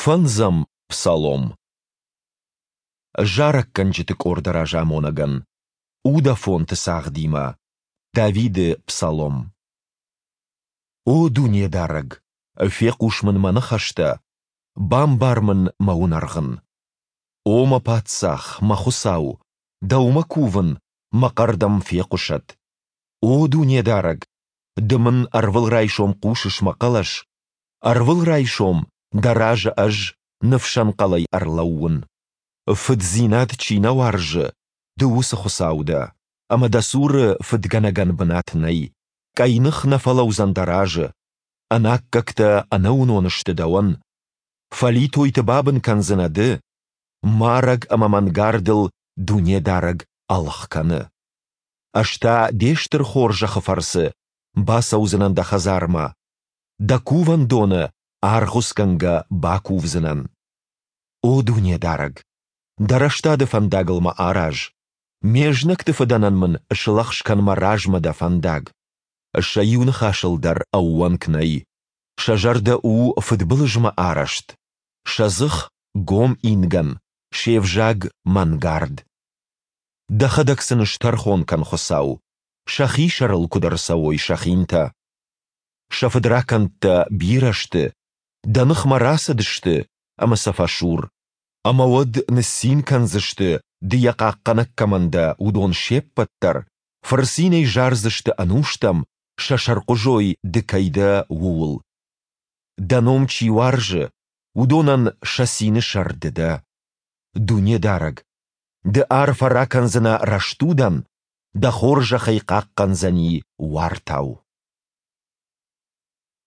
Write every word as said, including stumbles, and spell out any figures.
Фӕндзӕм псалом. Зарӕггӕнджыты къорды разамонӕгӕн. Удафонты цагъдимӕ. Давиды псалом. О Дунедарӕг, фехъус мын мӕ ныхӕстӕ, бамбар мын мӕ уынӕргъын. О мӕ Паддзах, мӕ Хуыцау, Дӕумӕ кувын, мӕ хъӕр Дӕм фехъуысӕд. О Дунедарӕг, Ды мын ӕрвылрайсом хъусыс мӕ хъӕлӕс, ӕрвылрайсом Дӕ разы ӕз ныфсӕнхъӕлӕй ӕрлӕууын. Фыддзинад чи нӕ уарзы, Ды уыцы Хуыцау дӕ, ӕмӕ Дӕ цуры фыдгӕнӕгӕн бынат нӕй, къӕйных нӕ фӕлӕудзӕн Дӕ разы. Ӕнаккӕгтӕ ӕнӕуынон сты Дӕуӕн. Фӕлитойты бабын кӕндзынӕ Ды, марӕг ӕмӕ мӕнгардыл Дунедарӕг ӕлгъ кӕны. Ӕз та Де стыр хорзӕхы фӕрцы бацӕудзынӕн Дӕ хӕдзармӕ, Дӕ кувӕндоны аргъуыцгӕнгӕ бакувдзынӕн. О Дунедарӕг, Дӕ рӕстады фӕндагыл мӕ араз, ме знӕгты фыдӕнӕн мын слӕгъз кӕн мӕ размӕ Дӕ фӕндаг. Сӕ иу ныхасыл дӕр ӕууӕнк нӕй, сӕ зӕрдӕ у фыдбылызмӕ арӕзт, сӕ дзых — гом ингӕн, се взаг — мӕнгард. Дӕхӕдӕг сын стӕрхон кӕн, Хуыцау, сӕхи сӕрыл куыд ӕрцӕуой сӕ хинтӕ. Сӕ фыдракӕндтӕ бирӕ сты, Дӕ ныхмӕ рацыдысты, ӕмӕ сӕ фӕсур. Ӕмӕ уӕд ныццин кӕндзысты, Ды йӕ хъахъхъӕнӕг кӕмӕн дӕ, уыдон се ппӕт дӕр, фырцинӕй зардзысты ӕнустӕм, сӕ сӕрхъуызой Ды кӕй дӕ, ууыл. Дӕ ном чи уарзы, уыдонӕн сӕ цины сӕр Ды дӕ. Дунедарӕг, Ды арфӕ ракӕндзынӕ рӕстудӕн, Дӕ хорзӕх ӕй хъахъхъӕндзӕни уартау.